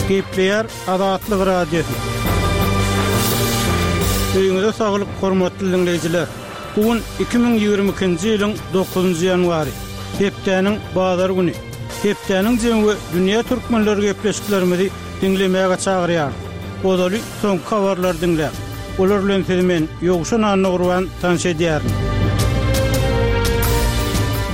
Gepleýär Azatlyk Radiosy. Öýüňize saglyk, hormatly diňleýjiler! Bu gün 2022-nji ýylyň dokuzynjy ýanwary, hepdäniň bazar güni. Hepdäniň jemi we dünýä türkmenleri gepleşiklerimizi diňlemäge çagyrýarys. Ozaly soňky habarlary diňläň. Olar bilen sizi men, Ýowşan Annagurban, tanyş edýärin.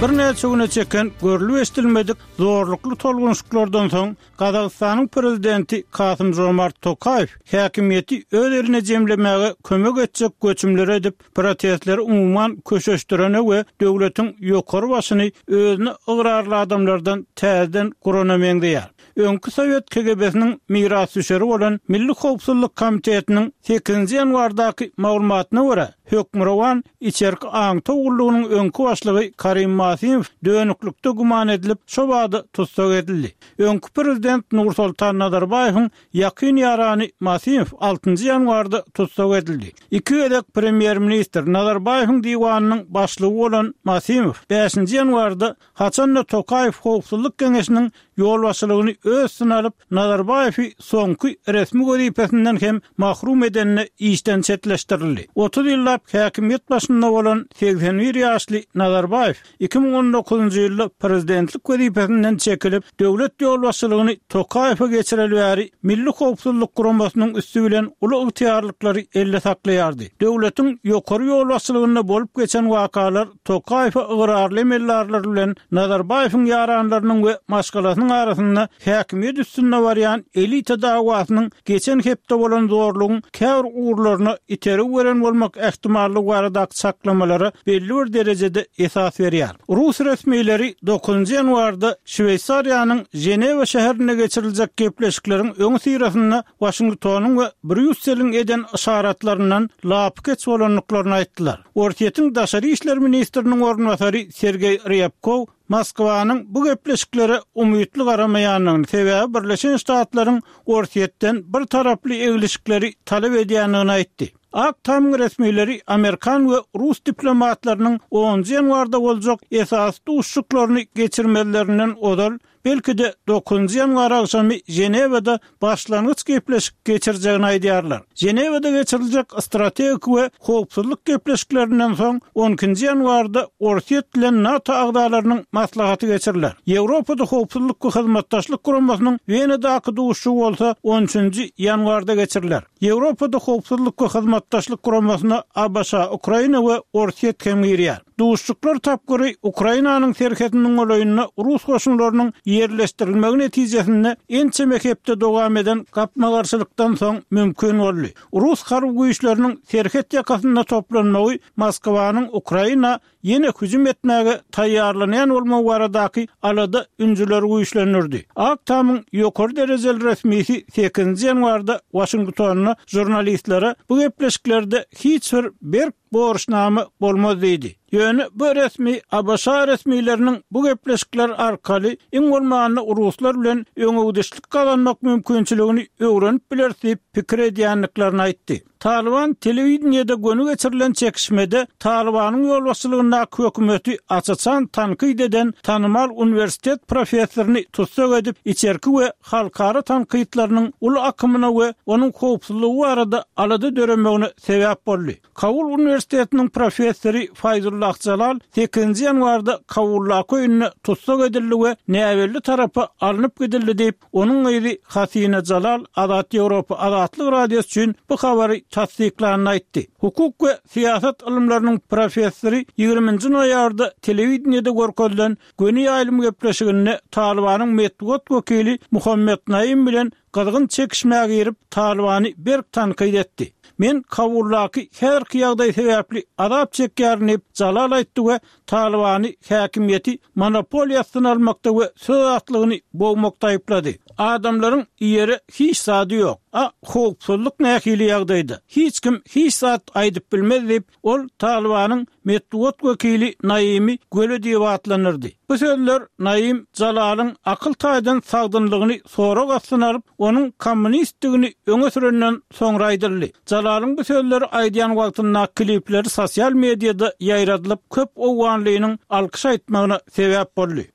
Birnäçe güne çeken görlüp-eşidilmedik zorlukly tolgunyşyklardan soň, Gazagystanyň prezidenti Kasym-Žomart Tokaýew häkimiýeti öz eline jemlemäge kömek etjek göçümleri edip, protestleri umuman köşeşdirene we döwletiň ýokary başyny özüne ygrarly adamlardan täzeden gurana meňzeýär. Öňki sowet KGB-siniň mirasdüşeri bolan Milli howpsuzlyk komitetiniň sekizinji ýanwardaky maglumatyna görä, hökmürowan içerki aňtaw gullugynyň öňki başlygy Karim Masimow dönüklikde güman edilip, şobada tussag edildi. Öňki prezident Nursoltan Nazarbaýewiň ýakyn ýarany Masimow altynjy ýanwarda tussag edildi. Iki gezek premýer-ministr Nazarbaýewiň diwanynyň başlygy bolan Masimow bäşinji ýanwarda Haçan-da Tokaýew Howpsuzlyk geňeşiniň ýolbaşçylygyny öz üstüne alyp, Nazarbaýewi soňky resmi wezipesinden hem mahrum edende işden çetleşdirildi. 30 ýyllap häkimiýet başynda bolan 81 ýaşly Nazarbaýew 2019-njy ýylda prezidentlik wezipesinden çekilip, döwlet ýolbaşçylygyny Tokaýewe geçireli bäri Milli howpsuzlyk guramasynyň üsti bilen uly ygtyýarlyklary elde saklaýardy. Döwletiň ýokary ýolbaşçylygynda bolup geçen wakalar Tokaýewe ygrarly emeldarlar bilen Nazarbaýewiň ýaranlarynyň we maşgalasynyň arasynda häkimiýet üstünde barýan elita dawasynyň geçen hepde bolan zorlugyň käbir ugurlaryna itergi beren bolmak ähtimallygy baradaky çaklamalara belli bir derejede esas berýär. Rus resmileri dokuzynjy ýanwarda Şweýsariýanyň Ženewa şäherinde geçiriljek gepleşikleriň öňüsyrasynda Waşingtonyň we Brýusseliň eden yşaratlaryndan lapykeç bolandyklaryny aýtdylar. Orsýetiň daşary işler ministriniň orunbasary Sergeý Rýabkow Moskwanyň bu gepleşiklere umytly garamaýandygyny, sebäbi Birleşen Ştatlaryň Orsýetden bir taraply eglişikleri talap edýändigini aýtdy. Ak Tamyň resmileri amerikan we rus diplomatlarynyň onunjy ýanwarda boljak esasy duşuşyklaryny geçirmezlerinden ozal belki-de dokuzynjy ýanwar agşamy Ženewada başlangyç gepleşik geçirjegini aýdýarlar. Ženewada geçiriljek strategik we howpsuzlyk gepleşiklerinden soň on ikinji ýanwarda Orsýet bilen NATO agzalarynyň maslahaty geçiriler. Ýewropada Howpsuzlyk we Hyzmatdaşlyk Guramasynyň Wenadaky duşuşygy bolsa on üçünji ýanwarda geçiriler. Ýewropada Howpsuzlyk we Hyzmatdaşlyk Guramasyna ABŞ, Ukraina we Orsýet hem girýär. Duşuşyklar tapgyry Ukrainanyň serhediniň golaýynda rus goşunlarynyň ýerleşdirilmegi netijesinde ençeme hepde dowam eden gapma-garşylykdan soň mümkin boldy. Rus harby güýçleriniň serhet ýakasynda toplanmagy Moskwanyň Ukraina ýene hüjüm etmäge taýýarlanýan bolmagy baradaky alada-ünjüleri güýçlendirdi. Ak Tamyň ýokary derejeli resmisi sekizinji ýanwarda Waşingtonda žurnalistlere bu gepleşiklerde hiç bir berk borçnama bolmaz diýdi. Ýöne bu resmi ABŞ resmileriniň bu gepleşikler arkaly iň bolmanda ruslar bilen öňegidişlik gazanmak mümkinçiligini öwrenip bileris diýip pikir edýändiklerini aýtdy. Talyban telewideniýede göni geçirilen çekişmede Talybanyň ýolbaşçylygyndaky hökümeti aç-açan tankyt eden tanymal uniwersitet professoryny tussag edip, içerki we halkara tankytlarynyň uly akymyna we onuň howpsuzlygy barada alada döremegine sebäp boldy. Kabul uniwersitetiniň professory Faýzullah Jalal sekizinji ýanwarda Kabuldaky öýünde tussag edildi we näbelli tarapa alnyp gidildi diýip, onuň gyzy Hasina Jalal Azat Ýewropa Azatlyk Radiosy üçin bu habary tassyklanyny aýtdy. Hukuk we syýasat ylymlarynyň professory ýigriminji noýabrda telewideniýede görkezilen göni ýaýlym gepleşiginde Talybanyň metbugat wekili Muhammet Naim bilen gyzgyn çekişmä girip, Talybany berk tankyt etdi. Men Kabuldaky häzirki ýagdaý sebäpli azap çekýärin diýip, Jalal aýtdy we Talybany häkimiýeti monopoliýa astyna almakda we söz azatlygyny bogmakda aýyplady. Adamlaryň iýere hiç zady ýok. A howpsuzlyk nähili ýagdaýda? Hiç kim hiç zat aýdyp bilmez diýip, Ol Talybanyň metbugat wekili Naimi göle diýip atlandyrdy. Bu sözler Naim Jalalyň akyl taýdan sagdynlygyny sorag astyna alyp, onuň kommunistdigini öňe sürenden soňra aýdyldy. Jalalyň bu sözleri aýdýan wagtyndaky klipleri sosial mediada ýaýradylyp, köp owganlynyň alkyş aýtmagyna sebäp boldy.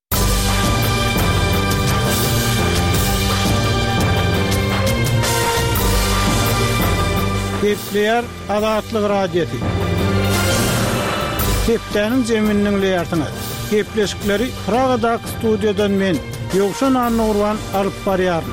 Gepleýär Azatlyk Radiosy. Hepdäniň jemini diňleýärsiňiz. Gepleşikleri Pragadaky studiýadan men, Ýowşan Annagurban alyp barýaryn.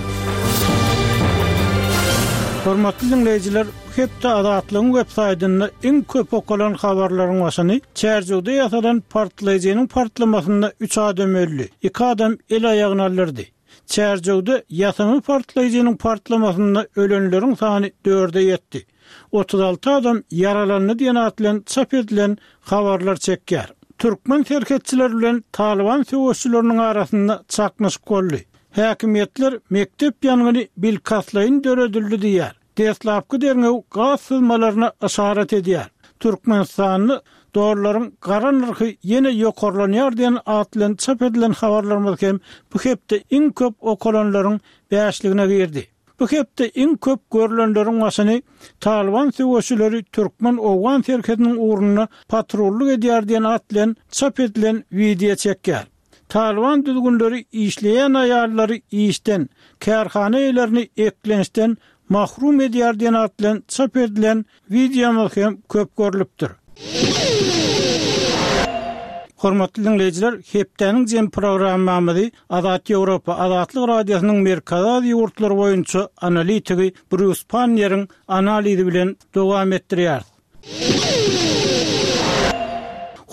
Hormatly diňleýjiler, bu hepde Azatlygyň websaýtynda iň köp okalan habarlaryň başyny Çärjewde ýasalan partlaýjynyň partlamasynda üç adam öldi, iki adam el-aýagyny aldyrdy. Çärjewde ýasama partlaýjynyň partlamasynda ölenleriň sany dörde ýetdi. 36 adam ýaralandy diýen at bilen çap edilen habarlar çekýär. Türkmen serhetçileri bilen Talyban söweşçileriniň arasynda çaknyşyk boldy. Häkimiýetler mekdep ýangyny bilkastlaýyn döredildi diýýär. Deslapky derňew gaz syzmalaryna yşarat edýär. Türkmenistanda dollaryň gara nyrhy ýene ýokarlanýar diýen at bilen çap edilen habarlarymyz hem bu hepde iň köp okalanlaryň bäşligine girdi. Bu hepde iň köp görlenleriň başyny Talyban söweşileri türkmen-owgan serhediniň ugrunda patrullyk edýär diýen at bilen çap edilen wideo çekýär. Talyban düzgünleri işleýän aýallary işden, kärhana eýelerini eklençden mahrum edýär diýen at bilen çap edilen wideomyz hem köp görlüpdir. Hormatly diňleýjiler, hepdäniň jem programmamyzy Azat Ýewropa, Azatlyk Radiosynyň Merkezi Aziýa ýurtlary boýunça analitigi Brýus Panniýeriň analizi bilen dowam etdirýäris.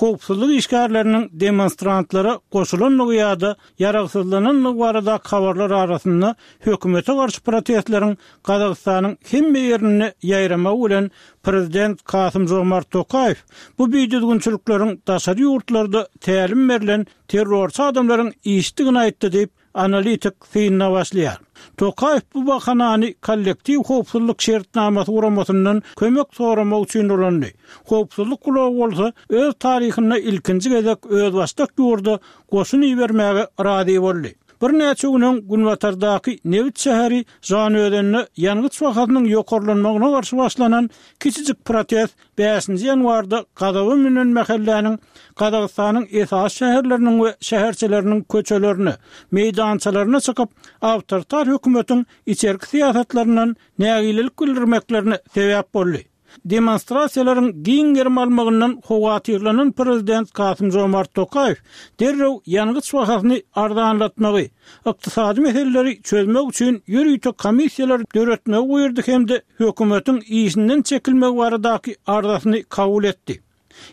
Howpsuzlyk işgärleriniň demonstrantlara goşulandygy ýa-da ýaragsyzlanandygy baradaky habarlar arasynda hökümete garşy protestleriň Gazagystanyň hemme ýerinde ýaýramagy bilen prezident Kasym-Žomart Tokaýew bu bidüzgünçilikleriň daşary ýurtlarda tälim berlen terrorçy adamlaryň işidigini aýtdy diýip, Analitik synyna başlaýar. Tokaýew bu bahanany Kollektiw howpsuzlyk şertnamasy guramasyndan kömek soramak üçin ulandy. Howpsuzlyk gulagy bolsa öz taryhynda ilkinji gezek özbaşdak ýurda goşun ibermäge razy boldy. Birnäçe gün öň günbatardaky nebit şäheri Žanaözende ýangyç bahasynyň ýokarlanmagyna garşy başlanan kiçijik protest Bäşinji ýanwarda gazaba münen mähelläniň Gazagystanyň esasy şäherleriniň we şäherçeleriniň köçelerine, meýdançalaryna çykyp, awtoritar hökümetiň içerki syýasatlaryndan nägilelik bildirmeklerine sebäp boldy. Demonstrasiýalaryň giň gerim almagyndan howatyrlanan prezident Kasym-Žomart Tokaýew derrew ýangyç bahasyny arzanlatmagy, ykdysady meseleleri çözmek üçin ýörite komissiýalar döretmegi buýurdy hem-de hökümetiň işinden çekilmegi baradaky arzasyny kabul etdi.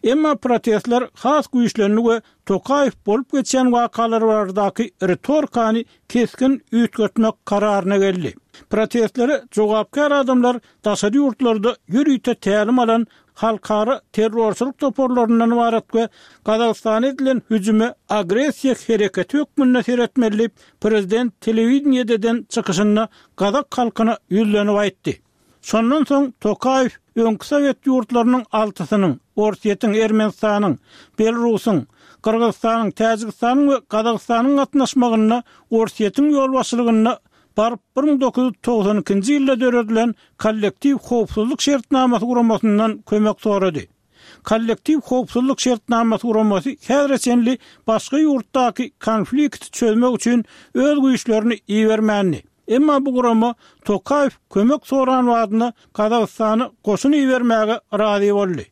Emma protestler has güýçlendi we Tokaýew bolup geçýän wakalar baradaky ritorikany kesgin üýtgetmek kararyna geldi. Protestlere jogapkär adamlar daşary ýurtlarda ýörite tälim alan halkara terrorçylyk toparlaryndan ybarat we Gazagystana edilen hüjüme agressiýa hereketi hökmünde seretmeli diýip, prezident telewideniýede eden çykyşynda gazak halkyna ýüzlenip aýtdy. Şondan soň Tokaýew öňki sowet ýurtlarynyň altysynyň, Orsýetiň, Ermenistanyň, Belarusyň, Gyrgyzystanyň, Täjigistanyň we Gazagystanyň gatnaşmagynda Orsýetiň ýolbaşçylygynda baryp 1992-nji ýylda döredilen Kollektiw howpsuzlyk şertnamasy guramasyndan kömek sorady. Kollektiw howpsuzlyk şertnamasy guramasy häzire çenli başga ýurtdaky konflikti çözmek üçin öz güýçlerini ibermändi. Emma bu gurama Tokaýew kömek soran badyna Gazagystana goşun ibermäge razy boldy.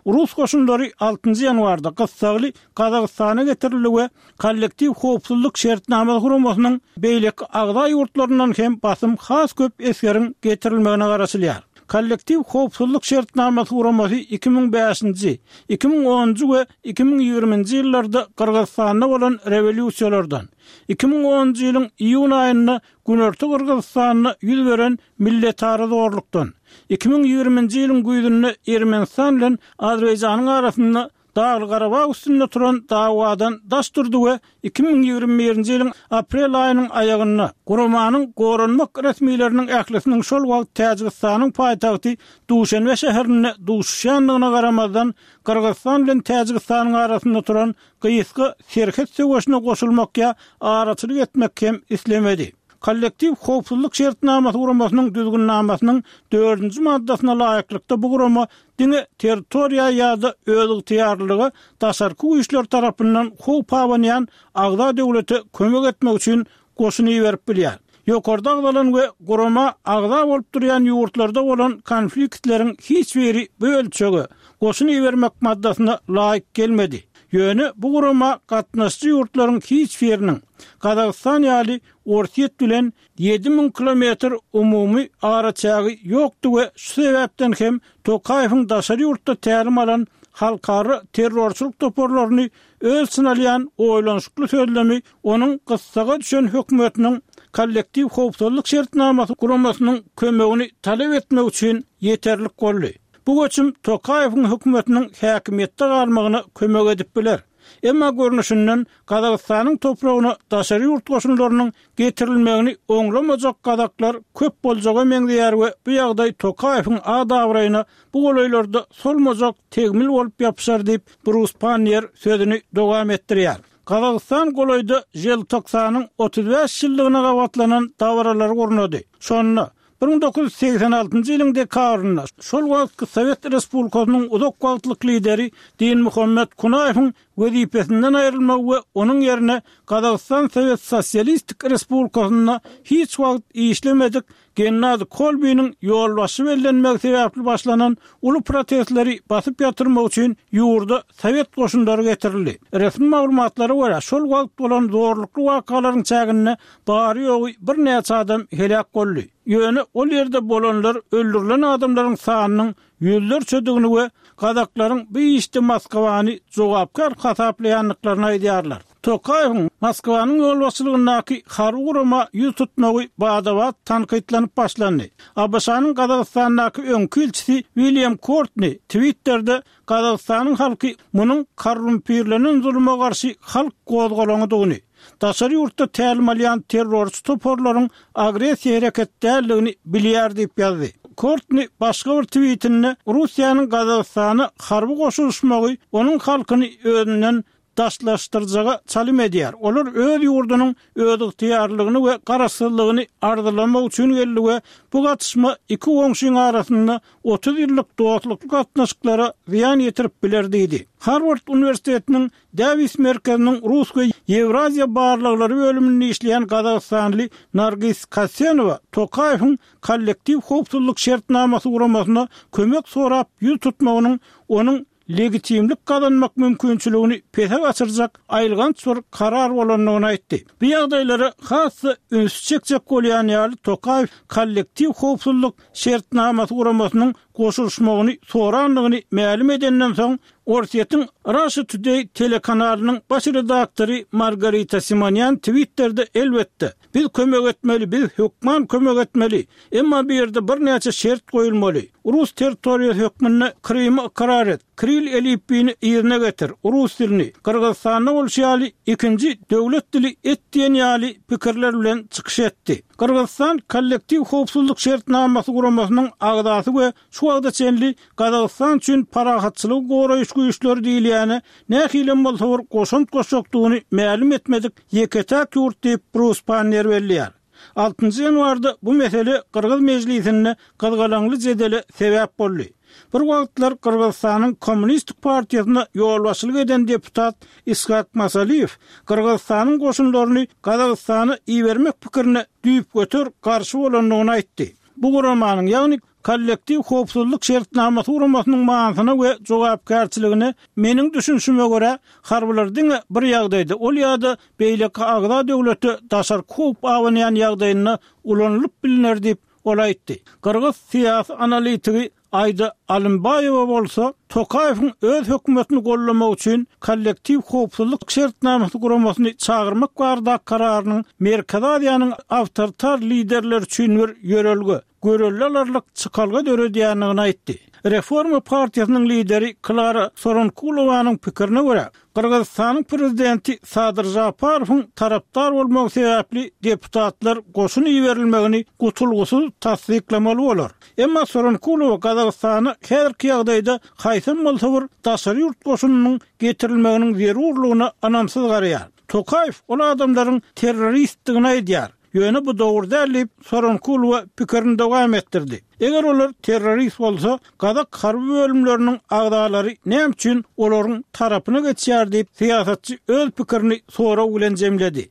Rus goşunlary altynjy ýanwarda gyssagly Gazagystana getirildi we Kollektiw howpsuzlyk şertnamasy guramasynyň beýleki agza ýurtlaryndan hem basym has köp esgeriň getirilmegine garaşylýar. Kollektiw howpsuzlyk şertnamasy guramasy 2005-nji, 2010-njy we 2020-nji ýyllarda Gyrgyzystanda bolan rewolýusiýalardan, 2010-njy ýylyň iýun aýynda Günorta Gyrgyzystanda ýüz beren milletara zorlukdan, 2020-nji ýylyň güýzünde Ermenistan bilen Azerbaýjanyň arasynda Dagly-Garabag üstünde turan dawadan daş durdy we 2021-nji ýylyň aprel aýynyň aýagynda guramanyň goranmak resmileriniň ählisiniň şol wagt Täjigistanyň paýtagty Duşenbe şäherinde duşuşýandygyna garamazdan Gyrgyzystan bilen Täjigistanyň arasynda turan gysga serhet söweşine goşulmak ýa araçylyk etmek hem islemedi. Kollektiw howpsuzlyk şertnamasy guramasynyň düzgünnamasynyň dördünji maddasyna laýyklykda bu gurama diňe territoriýa ýa-da özygtyýarlylyga daşarky güýçler tarapyndan howp abanýan agza döwlete kömek etmek üçin goşun iberip bilýär. Ýokarda agzalan we gurama agza bolup durýan ýurtlarda bolan konfliktleriň hiç biri bu ölçege, goşun ibermek maddasyna laýyk gelmedi. Ýöne bu gurama gatnaşyjy ýurtlaryň hiç biriniň, Gazagystan ýaly Orsýet bilen 7000 kilometr umumy araçägi ýokdy we şu sebäpden hem Tokaýewiň daşary ýurtda tälim alan halkara terrorçylyk toparlaryny öz içine alýan oýlanyşykly sözlemi onuň gyssaga düşen hökümetiniň Kollektiw howpsuzlyk şertnamasy guramasynyň kömegini talap etmek üçin ýeterlik boldy. Bu göçüm Tokaýewiň hökümetiniň häkimiýetde galmagyna kömek edip biler. Emma görnüşinden Gazagystanyň topragyna daşary ýurt goşunlarynyň getirilmegini oňlamajak gazaklar köp boljaga meňzeýär we bu ýagdaý Tokaýewiň at-abraýyna bu golaýlarda solmajak tegmil bolup ýapyşar diýip, Brus Panniýer sözüni dowam etdirýär. Gazagystan golaýda Želtoksanyň 35 ýyllygyna gabatlanan dabaralary gurnady. Şonda, 1986-njy ýylyň dekabrynda şol wagtky Sowet Respublikasynyň uzak wagtlyk lideri Dinmuhammet Kunaýewiň wezipesinden aýrylmagy we onuň ýerine Gazagystan Sowet Sosialistik Respublikasynda hiç wagt işlemedik Gennadi Kolbiniň ýolbaşçy bellenmegi sebäpli başlanan uly protestleri basyp ýatyrmak üçin ýurda sowet goşunlary getirildi. Resmi maglumatlara görä, şol wagt bolan zorlukly wakalaryň çäginde bary-ýogy birnäçe adam heläk boldy. Ýöne ol ýerde bolanlar öldürilen adamlaryň sanynyň ýüzlerçedigini we gazaklaryň bu işde Moskwany jogapkär hasaplaýandyklaryny aýdýarlar. Tokaýewiň Moskwanyň ýolbaşçylygyndaky harby gurama ýüz tutmagy bada-bat tankytlanyp başlandy. ABŞ-nyň Gazagystandaky öňki ilçisi William Kortni Twitterde Gazagystanyň halky munuň korrumpirlenen zuluma garşy halk gozgalaňydygyny, daşary ýurtda tälim alýan terrorçy toparlaryň agressiýa hereket däldigini bilýär diýip ýazdy. Kortni başga bir twitinde Russiýanyň Gazagystana harby goşulyşmagy onuň halkyny özünden daşlaşdyrjaga çalym edýär. Olar öz ýurdunyň özygtyýarlylygyny we garaşsyzlygyny arzylamak üçin geldi we bu gatyşma iki goňşyň arasynda 30 ýyllyk dostlukly gatnaşyklara zyýan ýetirip biler diýdi. Harward uniwersitetiniň Dawis merkeziniň rus we ýewraziýa barlaglary bölüminde işleýän gazagystanly Nargis Kasenowa Tokaýewiň Kollektiw howpsuzlyk şertnamasy guramasyna kömek sorap ýüz tutmagynyň onuň legitimlik gazanmak mümkinçiligini pese gaçyrjak aýylganç bir karar bolandygyny aýtdy. Bu ýagdaýlara has-da ünsi çekjek bolýan ýaly Tokaýew Kollektiw howpsuzlyk şertnamasy guramasynyň goşulyşmagyny sorandygyny mälim edenden soň, Orsýetiň Russia Today telekanalynyň baş redaktory Margarita Simonýan Twitterde Elbetde, biz kömek etmeli, biz hökman kömek etmeli, emma bu ýerde birnäçe şert goýulmaly. Rus territoriýasy hökmünde Krymy ykrar et, Kiril elipbiýini yzyna getir, rus dilini, Gyrgyzystanda bolşy ýaly, ikinji döwlet dili et diýen ýaly pikirler bilen çykyş etdi. Gyrgyzystan Kollektiw howpsuzlyk şertnamasy guramasynyň agzasy we şu wagta çenli Gazagystan üçin parahatçylygy goraýyş güýçleri diýilýäne nähilem bolsa bir goşant goşjakdygyny mälim etmedik ýeke-täk ýurt diýip, Brus Panniýer belleýär. Altynjy ýanwarda bu mesele gyrgyz mejlisinde gyzgalaňly jedele sebäp boldy. Bir wagtlar Gyrgyzystanyň Kommunistik partiýasyna ýolbaşçylyk eden deputat Ishak Masaliýew Gyrgyzystanyň goşunlaryny Gazagystana ibermek pikirine düýpgöter garşy bolandygyny aýtdy. Bu guramanyň, ýagny Kollektiw howpsuzlyk şertnamasy guramasynyň manysyna we jogapkärçiligine meniň düşünişime görä, harbylar diňe bir ýagdaýda, ol ýa-da beýleki agza döwlete daşarky howp abanýan ýagdaýynda ulanylyp bilner diýip, ol aýtdy. Gyrgyz syýasy analitigi Aida Alymbaýewa bolsa, Tokaýewiň öz hökümetini goldamak üçin Kollektiw howpsuzlyk şertnamasy guramasyny çagyrmak baradaky kararynyň Merkezi Aziýanyň awtoritar liderleri üçin bir ýörelge, görelde alarlyk çykalga döredýändigini aýtdy. Reforma partiýasynyň lideri Klara Soronkulowanyň pikirine görä, Gyrgyzystanyň prezidenti Sadyr Žaparowyň tarapdar bolmagy sebäpli deputatlar goşun iberilmegini gutulgysyz tassyklamaly bolar. Emma Soronkulowa Gazagystana häzirki ýagdaýda haýsam bolsa bir daşary ýurt goşunynyň getirilmeginiň zerurlygyna ynamsyz garaýar. Tokaýew ol adamlaryň terroristdigini aýdýar. Ýöne bu dogry däl diýip, Soronkulowa pikirini dowam etdirdi. Eger olar terrorist bolsa, gazak harby bölümleriniň agzalary näme üçin olaryň tarapyna geçýär diýip, syýasatçy öz pikirini sorag bilen jemledi.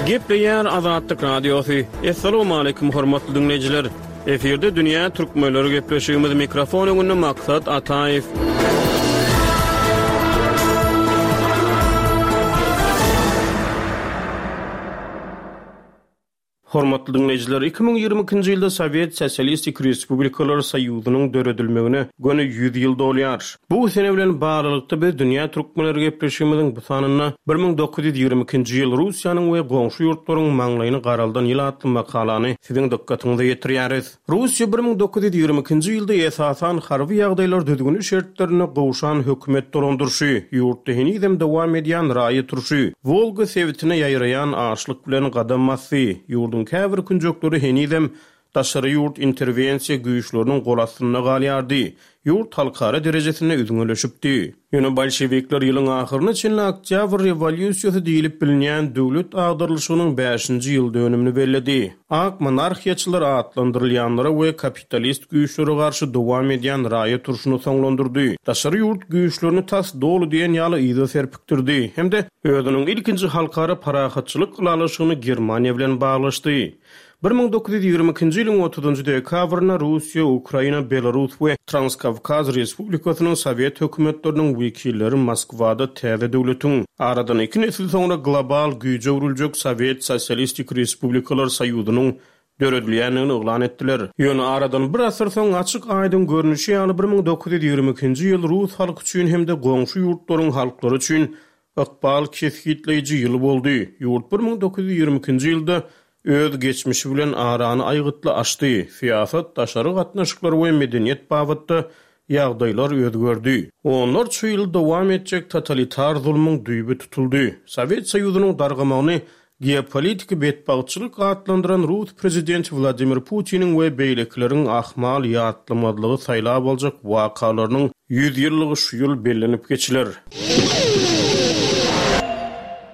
Gepleýär Azatlyk Radiosy. Assalamualaikum hormatly diňleýjiler. Efirde dünýä türkmenleri gepleşigimiz mikrofon öňünde Maksat Ataýew. Hormatly diňleýjiler, 2022-nji ýylda Sowet Sosialistik Respublikalar Soýuzynyň döredilmegine göni 100 ýyl dolýar. Bu sene bilen baglylykda biz Dünýä türkmenleri gepleşigimiziň bu sanynda 1922-nji ýyl Russiýanyň we goňşy ýurtlaryň maňlaýyny garaldan ýyl atly makalany siziň dykgatyňyza ýetirýäris. Russiýa 1922-nji ýylda esasan harby ýagdaýlar düzgüni şertlerinde gowşan hökümet dolandyryşy, ýurtda henizem dowam edýän raýat urşy, Wolga sebitine ýaýraýan açlyk bilen gadam basdy. Ýurduň käbir künjekleri henizem daşary ýurt interwensiýa güýçleriniň gol astynda galýardy. Ýurt halkara derejesinde üzňeleşipdi. Ýöne bolşewikler ýylyň ahyryna çenli Oktýabr rewolýusiýasy diýlip bilinýän döwlet agdarylyşygynyň bäşinji ýyl dönümini belledi. Ak monarhiýaçylar atlandyrylýanlara we kapitalist güýçlere garşy dowam edýän raýat urşuny soňlandyrdy, daşary ýurt güýçlerini tas doly diýen ýaly yza serpikdirdi hem-de özüniň ilkinji halkara parahatçylyk ylalaşygyny Germaniýa bilen baglaşdy. 1922-nji ýylyň otuzynjy dekabrynda Russiýa, Ukraina, Belarus we Transkawkaz Respublikasynyň sowet hökümetleriniň wekilleri Moskwada täze döwletiň, aradan iki nesil soňra global güýje öwrüljek Sowet Sosialistik Respublikalar Soýuzynyň döredilýändigini yglan etdiler. Ýöne aradan bir asyr soň açyk-aýdyň görnüşi ýaly 1922-nji ýyl rus halky üçin hem-de goňşy ýurtlaryň halklary üçin Ykbal kesgitleýji ýyl boldy. Ýurt 1922-nji ýylda öz geçmişi bilen arany aýgytly açdy. Syýasat, daşary gatnaşyklar we medeniýet babatda ýagdaýlar özgerdi. Onlarça ýyl dowam etjek totalitar zulmuň düýbi tutuldy. Sowet Soýuzynyň dargamagyny Geopolitiki betbagtçylyk atlandyran rus prezidenti Wladimir Putiniň we beýlekileriň ahmal ýatlamazlygy saýlap aljak wakalarynyň 100 ýyllygy şu ýyl bellenip geçiler.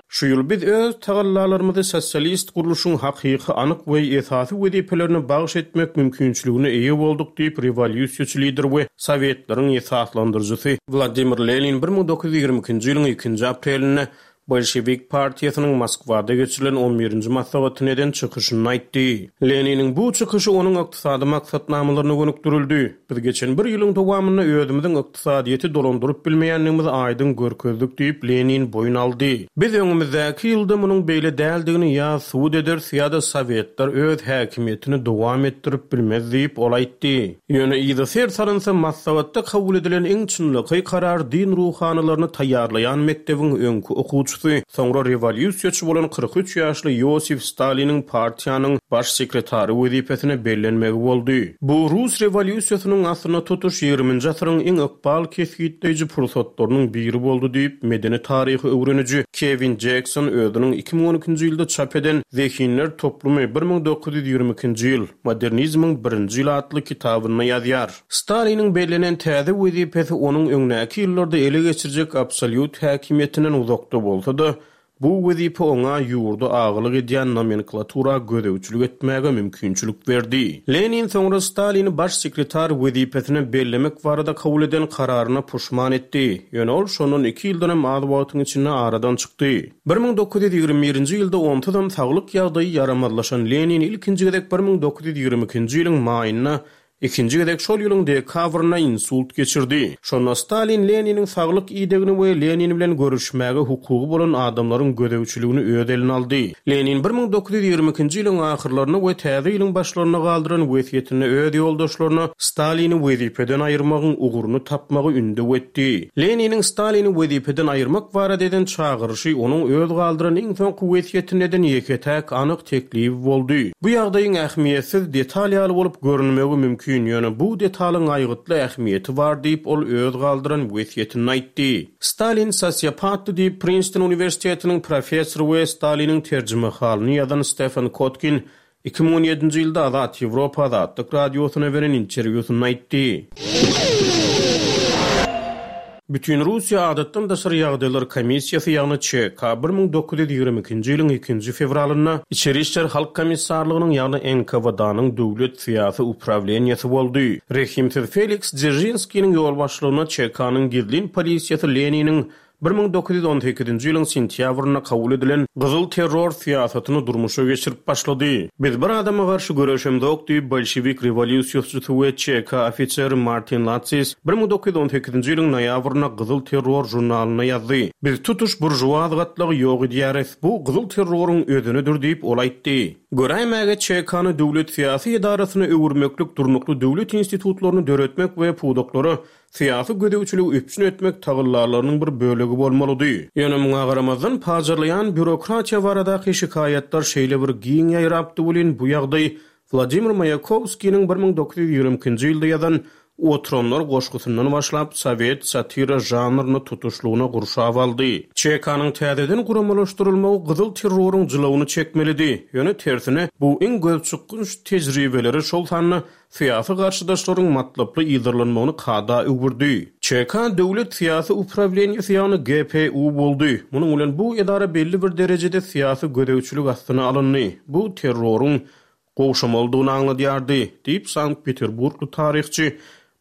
Şu ýyl biz öz tagallalarymyzy sosialist gurluşyň hakyky, anyk we esasy wezipelerine bagyş etmek mümkinçiligine eýe bolduk diýip, rewolýusiýaçy lider we Sowetleriň esaslandyryjysy Wladimir Lenin 1922-nji ýylyň ikinji aprelinde Bolşewik partiýasynyň Moskwada geçirilen on birinji maslahatynda eden çykyşynda aýtdy. Leniniň bu çykyşy onuň ykdysady maksatnamalaryna gönükdirildi. Biz geçen bir ýylyň dowamynda özümiziň ykdysadyýeti dolandyryp bilmeýändigimizi aýdyň görkezdik diýip, Lenin boýun aldy. Biz öňümizdäki ýylda munuň beýle däldigini ýa subut ederis ýa-da Sowetler öz häkimiýetini dowam etdirip bilmez diýip, ol aýtdy. Ýöne yza ser salynsa, maslahatda kabul edilen iň çynlakaý karar din ruhanylaryny taýýarlaýan mekdebiň öňki okuwçysy, soňra rewolýusiýaçy bolan 43 ýaşly Iosif Staliniň partiýanyň Baş sekretary wezipesine bellenmegi boldy. Bu rus rewolýusiýasynyň aslynda tutuş ýigriminji asyryň iň ykbal kesgitleýji pursatlarynyň biri boldy diýip, medeni taryhy öwreniji Kewin Jekson özüniň 2012-nji ýylda çap eden Zehinler toplumy, 1922-nji ýyl. Modernizmiň birinji ýyly atly kitabynda ýazýar. Staliniň bellenen täze wezipesi onuň öňdäki ýyllarda ele geçirjek absolýut häkimiýetinden uzakda bolsa-da, bu wezipe oňa ýurda agalyk edýän nomenklatura gözegçilik etmäge mümkinçilik berdi. Lenin soňra Stalini baş sekretar wezipesine bellemek barada kabul eden kararyna puşman etdi. Ýöne ol şondan iki ýyldanam az wagtyň içinde aradan çykdy. 1921-nji ýylda onsuzam saglyk ýagdaýy ýaramazlaşan Lenin ilkinji gezek 1922-nji ýylyň maýynda, ikinji gezek şol ýylyň dekabrynda insult geçirdi. Şonda Stalin Leniniň saglyk idegini we Lenin bilen görüşmäge hukugy bolan adamlaryň gözegçiligini öz eline aldy. Lenin 1922-nji ýylyň ahyrlarynda we täze ýylyň başlarynda galdyran wesýetinde öz ýoldaşlaryna Stalini wezipeden aýyrmagyň ugruny tapmagy ündew etdi. Leniniň Stalini wezipeden aýyrmak barada eden çagyryşy onuň öz galdyran iň soňky wesýetinde eden ýeke-täk anyk teklibi boldy. Bu ýagdaýyň ähmiýetsiz detal ýaly bolup görünmegi mümkin, ýöne bu detalyň aýgytly ähmiýeti bar diýip, ol öz galdyran wesýetinde aýtdy. Stalin sosiopatdy diýip, Prinston uniwersitetiniň professory we Staliniň terjimehalyny ýazan Stefan Kotkin 2017-nji ýylda Azat Ýewropa Azatlyk Radiosyna beren interwýusynda aýtdy. Bütinrussiýa Adatdan daşary ýagdaýlar komissiýasy, ýagny ÇK 1922-nji ýylyň ikinji fewralynda Içeri işler halk komissarlygynyň, ýagny NKWD-nyň döwlet syýasy uprawleniýesi boldy. Rehimsiz Feliks Dzeržinskiniň ýolbaşçylygynda ÇK-nyň gizlin polisiýasy Leniniň. 1918-nji ýylyň sentýabrynda kabul edilen Gyzyl terror syýasatyny durmuşa geçirip başlady. Biz bir adama garşy göreşemzok diýip, bolşewik rewolýusiýaçysy we ÇK ofiseri Martin Latsis 1918-nji ýylyň noýabrynda Gyzyl terror žurnalynda ýazdy. Biz tutuş buržuaz gatlagy ýok edýäris. Bu gyzyl terroryň özenidir diýip, ol aýtdy. Göräýmäge ÇK-ny döwlet syýasy edarasyna öwürmeklik durnukly döwlet institutlaryny döretmek we pudaklara syýasy gözegçiligi üpjün etmek tagallalarynyň bir bölegi bolmalydy. Ýöne muňa garamazdan, pajarlaýan býurokratiýa baradaky şikaýatlar şeýle bir giň ýaýrapdy welin, bu ýagdaý Wladimir Maýakowskiniň 1922-nji ýylda ýazan Oturanlar goşgusyndan başlap, sowet satira žanryny tutuşlygyna gurşap aldy. ÇK-nyň täzeden guramalaşdyrylmagy gyzyl terroryň jylawyny çekmelidi. Ýöne tersine, bu iň gözçykgynç tejribeleri, şol sanda syýasy garşydaşlaryň matlaply yzarlanmagyny kada öwürdi. ÇK döwlet syýasy uprawleniýesi, ýagny GPU boldy. Munuň bilen bu edara belli bir derejede syýasy gözegçilik astyna alyndy. Bu terroryň gowşamalydygyny aňladýardy, diýip, sankt-peterburgly taryhçy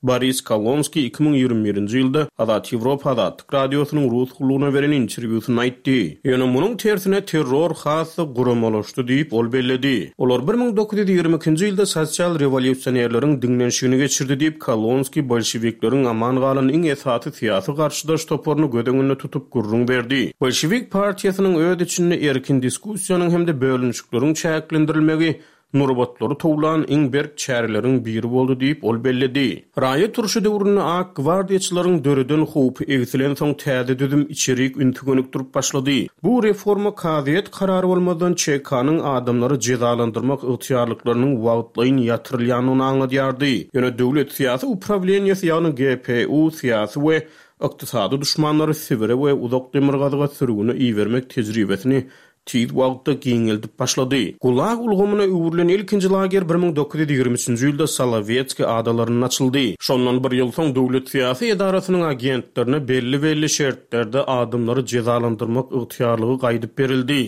Boris Kolonskiý 2021-nji ýylda Azat Ýewropa Azatlyk Radiosynyň Rus gullugyna beren interwýusynda aýtdy. Ýöne munuň tersine terror has-da guramalaşdy diýip, ol belledi. Olar 1922-nji ýylda sosial rewolýusionerleriň diňlenişigini geçirdi diýip, Kolonskiý bolşewikleriň aman galan iň esasy syýasy garşydaş toparyny göz öňünde tutup gürrüň berdi. Bolşewik partiýasynyň öz içinde erkin diskussiýanyň hem-de bölünişikleriň çäklendirilmegi nurbatlary towlan iň berk çäreleriň biri boldy diýip, ol belledi. Raýat urşy döwründe ak gwardiýaçylaryň döreden howpy egsilensoň täze düzüm içerik ünsi gönükdirip başlady. Bu reforma kazyýet karary bolmazdan ÇK-nyň adamlary jezalandyrmak ygtyýarlyklarynyň wagtlaýyn ýatyrylýandygyny aňladýardy. Ýöne döwlet syýasy uprawleniýesi ýagny GPU syýasy we ykdysady duşmanlary Sibire we uzak demirgazyga sürgüne ibermek tejribesini tiz wagtda giňeldip başlady. Gulag ulgamyna öwrülen ilkinji lager 1923-nji ýylda Solowetskiý adalarynda açyldy. Şondan bir ýyl soň döwlet syýasy edarasynyň agentlerine belli-belli şertlerde adamlary jezalandyrmak ygtyýarlygy gaýdyp berildi.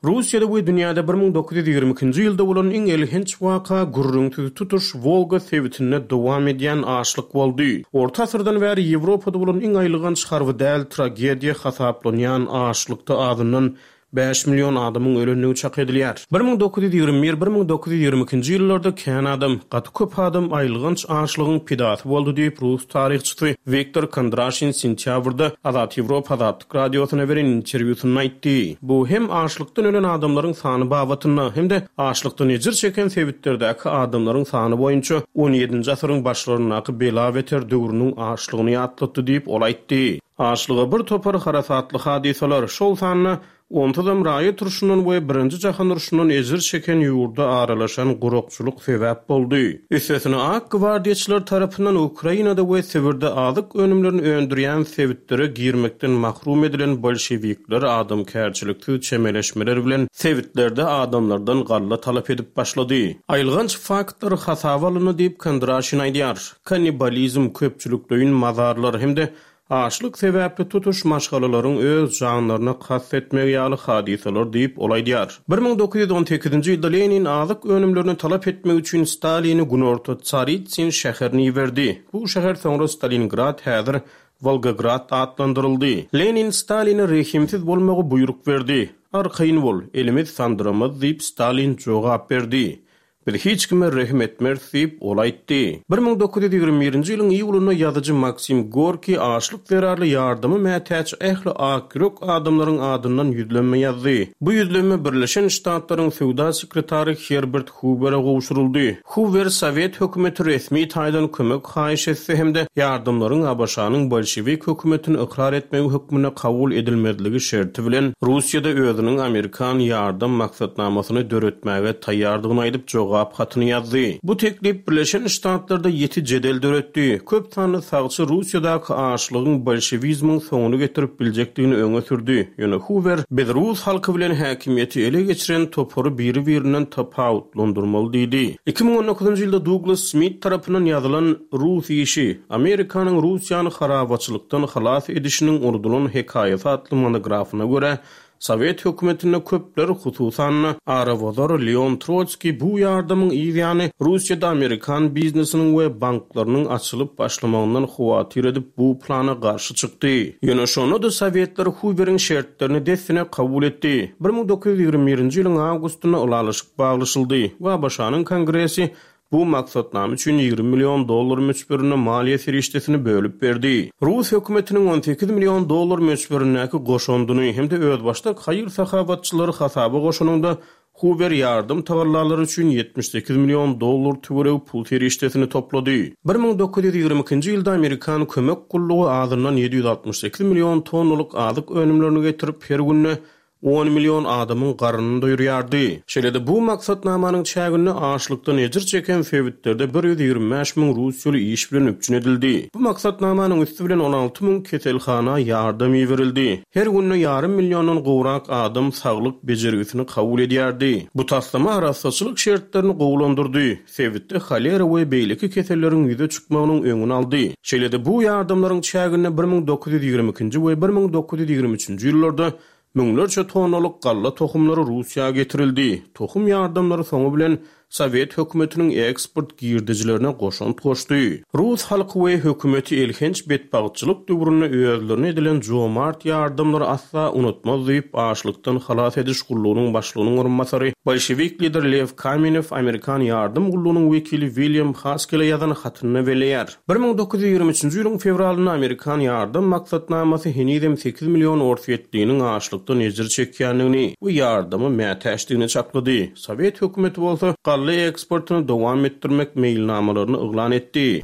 Russiýada we dünýäde 1922-nji ýylda bolan iň elhenç waka gürrüňsiz tutuş Wolga sebitinde dowam edýän açlyk boldy. Orta asyrdan bäri Ýewropada bolan iň aýylganç harby däl tragediýa hasaplanýan açlykda azyndan bäş million adamyň ölendigi çak edilýär. 1921, 1922-nji ýyllarda kän adam, gaty köp adam aýylganç açlygyň pidasy boldy diýip, rus taryhçysy Wiktor Kondraşin sentýabrda Azat Ýewropa Azatlyk Radiosyna beren interwýusynda aýtdy. Bu hem açlykdan ölen adamlaryň sany babatynda, hem-de açlykdan ejir çeken sebitlerdäki adamlaryň sany boýunça on ýedinji asyryň başlaryndaky bela-beter döwrüniň açlygyny ýatlatdy diýip, ol aýtdy. Açlyga bir topar harasatly hadysalar, şol sanda Onsuzam raýat urşundan we Birinji jahan urşundan ejir çeken ýurda aralaşan gurakçylyk sebäp boldy. Üstesine ak gwardiýaçylar tarapyndan Ukrainada we Sibirde azyk önümlerini öndürýän sebitlere girmekden mahrum edilen bolşewikler adamkärçiliksiz çemeleşmeler bilen sebitlerde adamlardan galla talap edip başlady. Aýylganç faktlar hasaba alyndy diýip, Kondraşin aýdýar. Kannibalizm, köpçülikleýin mazarlar hem-de Açlyk sebäpli tutuş maşgalalaryň öz janlaryna kast etmegi ýaly hadysalar diýip, ol aýdýar. 1918-nji ýylda Lenin azyk önümlerini talap etmek üçin Stalini günorta Tsaritsyn şäherine iberdi. Bu şäher soňra Stalingrad, häzir Wolgograd atlandyryldy. Lenin Staline rehimsiz bolmagy buýruk berdi. Arkaýyn bol, elimiz sandyramaz diýip, Stalin jogap berdi. Biz hiç kime rehim etmeris diýip, ol aýtdy. 1921-nji ýylyň iýulynda ýazyjy Maksim Gorkiý açlyk zerarly ýardama mätäç ähli akýürek adamlaryň adyndan ýüzlenme ýazdy. Bu ýüzlenme Birleşen Ştatlaryň söwda sekretary Herbert Huwere gowşuryldy. Huwer sowet hökümeti resmi taýdan kömek haýyş etse hem-de ýardamlaryň ABŞ-nyň bolşewik hökümetini ykrar etmegi hökmünde kabul edilmezligi şerti bilen Russiýada özüniň amerikan ýardam maksatnamasyny döretmäge taýýardygyny aýdyp jogap hatyny ýazdy. Bu teklip Birleşen Ştatlarda ýiti jedel döretdi. Köp sanly sagçy Russiýadaky açlygyň bolşewizmiň soňuny getirip biljekdigini öňe sürdi. Ýöne Huwer, Biz rus halky bilen häkimiýeti ele geçiren topary biri-birinden tapawutlandyrmaly diýdi. 2019-njy ýylda Duglas Smit tarapyndan ýazylan Rus işi, Amerikanyň Russiýany harabaçylykdan halas edişiniň unudylan hekaýasy atly monografyna görä, Sowet hökümetinde köpler, hususan-da, arabozar Leon Trotskiý bu ýardamyň yz ýany Russiýada amerikan biznesiniň we banklarynyň açylyp başlamagyndan howatyr edip bu plana garşy çykdy. Ýöne şonda-da sowetler Huweriň şertlerini dessine kabul etdi. 1921-nji ýylyň awgustynda ylalaşyk baglaşyldy we ABŞ-nyň Kongresi Bu maksatnama üçin 20 million dollar möçberinde maliýe serişdesini bölüp berdi. Rus hökümetiniň 18 million dollar möçberindäki goşandyny hem-de özbaşdak haýyr-sahawatçylary hasaba goşanyňda, Huwer ýardam tagallalary üçin 78 million dollar töweregi pul serişdesini toplady. 1922-nji ýylda amerikan kömek gullugy azyndan 768 million tonnalyk azyk önümlerini getirip, her günde On million adamyň garnyny doýurýardy. Şeýle-de bu maksatnamanyň çäginde açlykdan ejir çeken sebitlerde 125 müň russiýaly iş bilen üpjün edildi. Bu maksatnamanyň üsti bilen 16 müň keselhana ýardam iberildi. Her günde ýarym milliondan gowrak adam saglyk bejergisini kabul edýärdi. Bu taslama arassaçylyk şertlerini gowulandyrdy, sebitde holera we beýleki keselleriň ýüze çykmagynyň öňüni aldy. Şeýle-de bu ýardamlaryň çäginde 1922-nji we 1923-nji ýyllarda müňlerçe tonnalyk galla tohumlary Russiýa getirildi. Tohum ýardamlary soňy bilen sowet hökümetiniň eksport girdejilerine goşant goşdy. Rus halky we hökümeti elhenç betbagtçylyk döwründe özlerine edilen jomart ýardamlary asla unutmaz diýip, açlykdan halas ediş gullugynyň başlygynyň orunbasary, bolşewik lider Lew Kamenew amerikan ýardam gullugynyň wekili Wilýam Haskele ýazan hatynda belleýär. 1923-nji ýylyň fewralynda amerikan ýardam maksatnamasy henizem sekiz million orsýetliniň açlykdan ejir çekýändigini we ýardama mätäçdigini çaklady. Sowet hökümeti bolsa galla eksportyny dowam etdirmek meýilnamalaryny yglan etdi.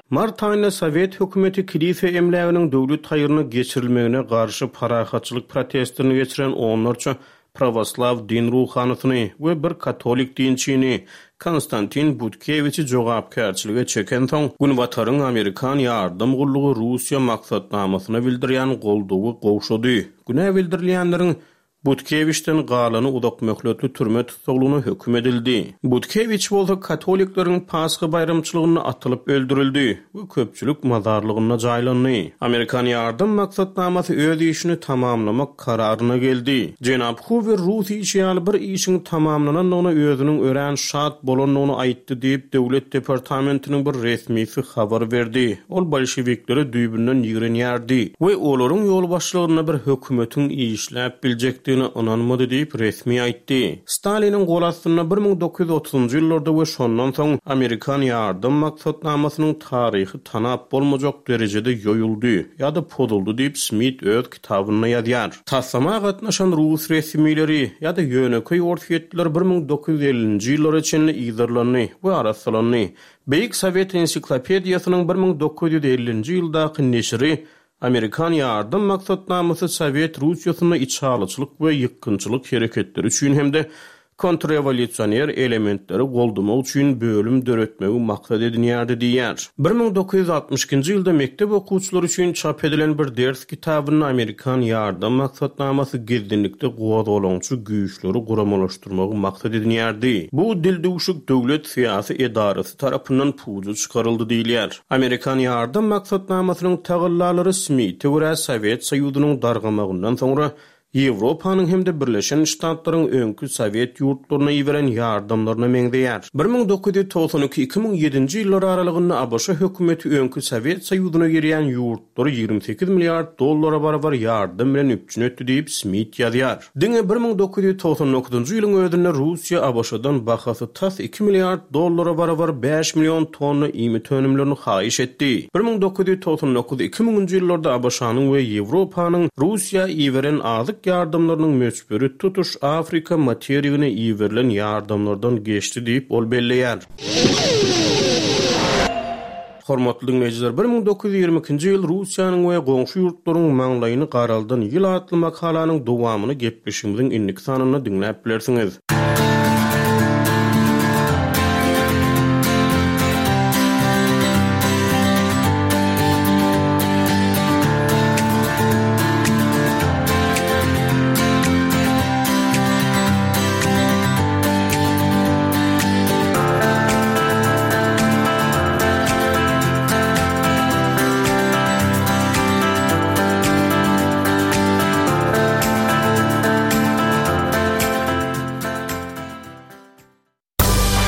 Mart aýynda sowet hökümeti kilise emläginiň döwlet haýryna geçirilmegine garşy parahatçylyk protestlerini geçiren onlarça prawoslaw din ruhanysyny we bir katolik dinçini Konstantin Butkewiçi jogapkärçilige çekensoň, Günbataryň amerikan ýardam gullugy Russiýa maksatnamasyna bildirýän goldawy gowşady. Günä bildirilýänleriň Butkewiçden galany uzakmöhletli türme tussaglygyna höküm edildi. Butkewiç bolsa katolikleriň Pasha baýramçylygynda atylyp öldürildi we köpçülik mazarlygynda jaýlandy. Amerikan ýardam maksatnamasy öz işini tamamlamak kararyna geldi. Jenap Huwer rus işi ýaly bir işiň tamamlanandygyna özüniň örän şat bolandygyny aýtdy diýip, Döwlet departamentiniň bir resmisi habar berdi. Ol bolşewikleri düýbünden ýigrenýärdi we olaryň ýolbaşçylygynda bir hökümetiň işläp biljekdigine ynanmady diýip, resmi aýtdy. Staliniň gol astynda 1930-njy ýyllarda we şondan soň amerikan ýardam maksatnamasynyň taryhy tanap bolmajak derejede ýoýuldy ýa-da pozuldy diýip, Smit öz kitabynda ýazýar. Taslama gatnaşan rus resmileri ýa-da ýönekeý orsýetliler 1950-nji ýyllara çenli yzarlandy we arassalandy. Beýik Sowet ensiklopediýasynyň 1950-nji ýyldaky neşiri Amerikan ýardam maksatnamasy Sowet Russiýasynda içalyçylyk we ýykgynçylyk hereketleri üçin hem-de kontrrewolýusioner elementleri goldamak üçin bölüm döretmegi maksat edinýärdi diýýär. 1962-nji ýylda mekdep okuwçylary üçin çap edilen bir ders kitabynda Amerikan ýardam maksatnamasy gizlinlikde gozgalaňçy güýçleri guramalaşdyrmagy maksat edinýärdi. Bu dildüwşük döwlet syýasy edarasy tarapyndan puja çykaryldy diýilýär. Amerikan ýardam maksatnamasynyň tagallalary Smite görä Sowet Soýuzynyň dargamagyndan soňra Ýewropanyň hem-de Birleşen Ştatlaryň öňki sowet ýurtlaryna iberen ýardamlaryna meňzeýär. 1992, 2007-nji ýyllar aralygynda ABŞ hökümeti öňki Sowet Soýuzyna girýän ýurtlary 28 milliard dollara barabar ýardam bilen üpjün etdi diýip, Smit ýazýar. Diňe 1999-njy ýylyň özünde Russiýa ABŞ-dan bahasy tas iki milliard dollara barabar bäş million tonna iýmit önümlerini haýyş etdi. 1999, 2000-nji ýyllarda ABŞ-nyň we Ýewropanyň Russiýa iberen azyk ýardamlarynyň möçberi tutuş Afrika materigine iberilen ýardamlardan geçdi diýip, ol belleýär. Hormatly diňleýjiler, 1922-nji ýyl Russiýanyň we goňşy ýurtlaryň maňlaýyny garaldan ýyl atly makalanyň dowamyny gepleşigimiziň indiki sanynda diňläp bilersiňiz.